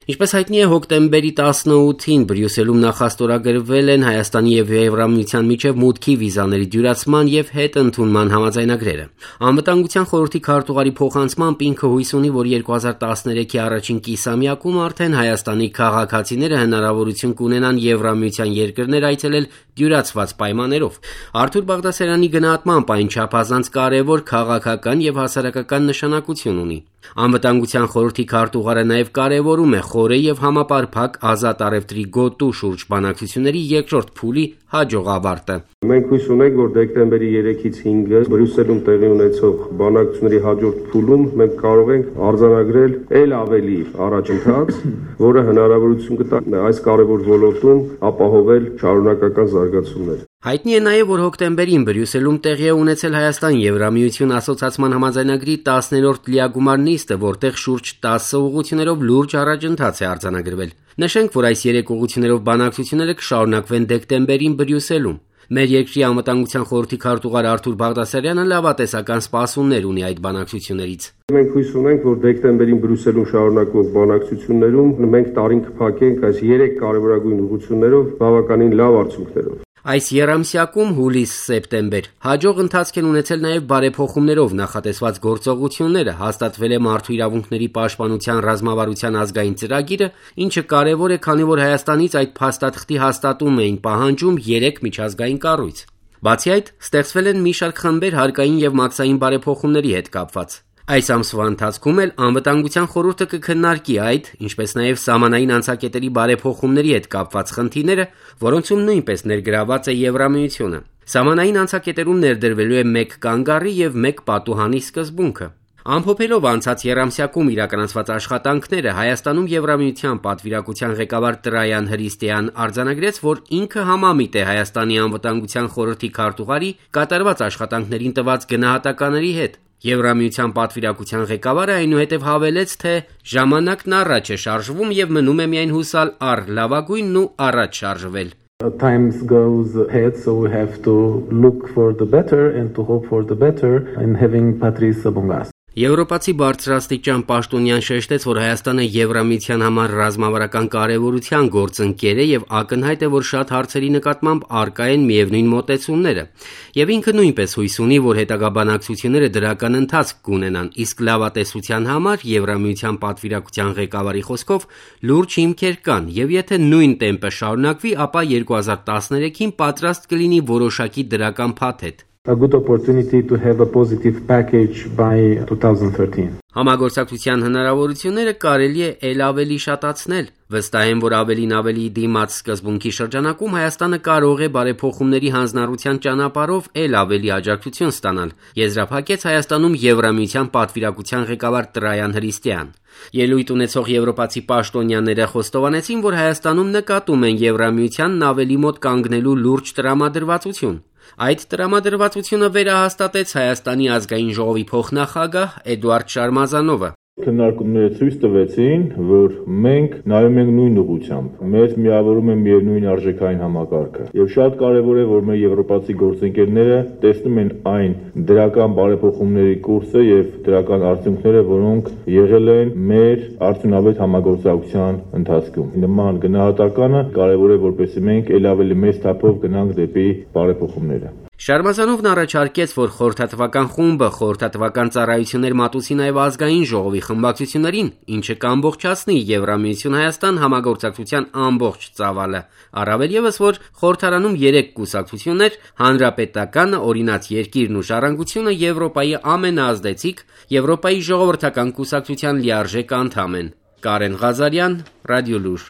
Ինչպես հայտնի է, հոկտեմբերի 18-ին Բրյուսելում նախաստորագրվել են Հայաստանի եւ Եվրամիության միջև մուտքի վիզաների դյուրացման եւ հետընդունման համաձայնագրերը։ Անվտանգության խորհրդի քարտուղարի փոխանցմամբ ինքը հույս ունի, որ 2013-ի առաջին կիսամյակում արդեն Հայաստանի քաղաքացիները հնարավորություն կունենան Եվրամիության երկրներ այցելել դյուրացված պայմաններով։ Արթուր Բաղդասարյանի գնահատմամբ այն չափազանց կարևոր քաղաքական եւ հասարակական նշանակություն ունի։ Անվտանգության խորհրդի քարտուղարը նաև կարևորում է խորը եւ համապարփակ ազատ առևտրի գոտու շուրջ բանակցությունների երկրորդ փուլի հաջող ավարտը։ Մենք հույս ունենք, որ դեկտեմբերի 3-ից 5-ը Բրյուսելում տեղի ունեցող բանակցությունների հաջորդ փուլում մենք կարող ենք արձանագրել ել ավելի առաջընթաց, որը հնարավորություն կտա այս կարևոր ոլորտում ապահովել շարունակական զարգացումներ։ Հայտնի է նաև, որ հոկտեմբերին Բրյուսելում տեղի է ունեցել Հայաստան-Եվրամիություն ասոցիացման համաձայնագրի 10-րդ լիագումար նիստը, որտեղ շուրջ 10 ուղղություններով լուրջ առաջընթաց է արձանագրվել։ Նշենք, որ այս 3 ուղղություններով բանակցությունները կշարունակվեն դեկտեմբերին Բրյուսելում։ Մեր երկրի անվտանգության խորհրդի քարտուղար Արթուր Բաղդասարյանը լավատեսական սպասումներ ունի այդ բանակցություններից։ Մենք հույս ունենք, որ դեկտեմբերին Բրյուսելում շարունակվող բանակցություններում մենք տարին կփակենք այս 3 կարևորագույն ուղղություններով բավականին լավ արդյունքներով։ Այս եռամսյակում հուլիս-սեպտեմբեր հաջող ընթացք են ունեցել նաև բարեփոխումներով նախատեսված գործողությունները, հաստատվել է մարդու իրավունքների պաշտպանության ռազմավարության ազգային ծրագիրը, ինչը կարևոր է, քանի որ Հայաստանից այդ փաստաթղթի հաստատում էին պահանջում 3 միջազգային կառույց։ Բացի այդ, ստեղծվել են մի շարք խմբեր հարկային եւ մաքսային բարեփոխումների հետ կապված։ Այս ամսվա ընթացքում էլ անվտանգության խորհուրդը կքննարկի այդ, ինչպես նաև սահմանային անցակետերի բարեփոխումների հետ կապված խնդիրները, որոնցում նույնպես ներգրաված է Եվրամիությունը։ Սահմանային անցակետերում ներդրվելու է 1 կանգառի եւ 1 պատուհանի սկզբունքը։ Ամփոփելով անցած եռամսյակում իրականացված աշխատանքները, Հայաստանում Եվրամիության պատվիրակության ղեկավար Տրայան Հրիստեան արձանագրեց, որ ինքը համամիտ է Հայաստանի անվտանգության խորհրդի քարտուղարի կատարված աշխատանքներին տված գնահատականների հետ։ Եվրամիության պատվիրակության ղեկավարը այնուհետև հավելեց, թե ժամանակն առաջ է շարժվում եւ մնում է միայն հուսալ առ լավագույնն ու առաջ շարժվել։ Times goes ahead, so we have to look for the better and to hope for the better in having Patrice among us. Եվրոպացի բարձրաստիճան պաշտոնյան շեշտեց, որ Հայաստանը Եվրամիության համար ռազմավարական կարևորության գործընկեր է եւ ակնհայտ է, որ շատ հարցերի նկատմամբ առկա են միևնույն մոտեցումները։ Եվ ինքը նույնպես հույս ունի, որ հետագա բանակցությունները դրական ընթացք կունենան, իսկ լավատեսության համար Եվրամիության պատվիրակության ղեկավարի խոսքով լուրջ հիմքեր կան, եւ եթե նույն տեմպը շարունակվի, ապա 2013-ին պատրաստ կլինի որոշակի դրական փաթեթ։ A good opportunity to have a positive package by 2013. Համագործակցության հնարավորությունները կարելի է ել ավելի շատացնել։ Վստահ եմ, որ ավելին ավելի դիմաց սկզբունքի շրջանակում Հայաստանը կարող է բարեփոխումների հանձնառության ճանապարհով ել ավելի աջակցություն ստանալ, եզրափակեց Հայաստանում Եվրամիության պատվիրակության ղեկավար Տրայան Հրիստեան։ Ելույթ ունեցող եվրոպացի պաշտոնյաները խոստովանեցին, որ Հայաստանում նկատում են Եվրամիությանն ավելի մոտ կանգնելու լուրջ տրամադրվածություն։ Այդ տրամադրվածությունը վերահաստատեց Հայաստանի ազգային ժողովի փոխնախագահ Էդուարդ Շարմազանովը։ Քննարկումները ցույց տվեցին, որ մենք նայում ենք նույն ուղղությամբ։ Մեզ միավորում է միևնույն արժեքային համակարգը։ Եվ շատ կարևոր է, որ մեր եվրոպացի գործընկերները տեսնում են այն դրական բարեփոխումների կուրսը եւ դրական արդյունքները, որոնք եղել են մեր արդյունավետ համագործակցության ընթացքում։ Նման գնահատականը կարևոր է, որպեսզի մենք ել ավելի մեծ թափով գնանք դեպի բարեփոխումները։ Շարմազանովն առաջարկեց, որ խորհրդատվական խումբը խորհրդատվական ծառայություններ մատուցի նաև ազգային ժողովի խմբակցություններին, ինչը կամբողջացնի Եվրամիություն-Հայաստան համագործակցության ամբողջ ծավալը։ Առավել ևս, որ խորհրդարանում 3 կուսակցություններ՝ Հանրապետականը, Օրինաց երկիրն ու Ժառանգությունը Եվրոպայի ամենաազդեցիկ Եվրոպայի ժողովրդական կուսակցության լիարժեք անդամ են։ Կարեն Ղազարյան, Ռադիոլուր։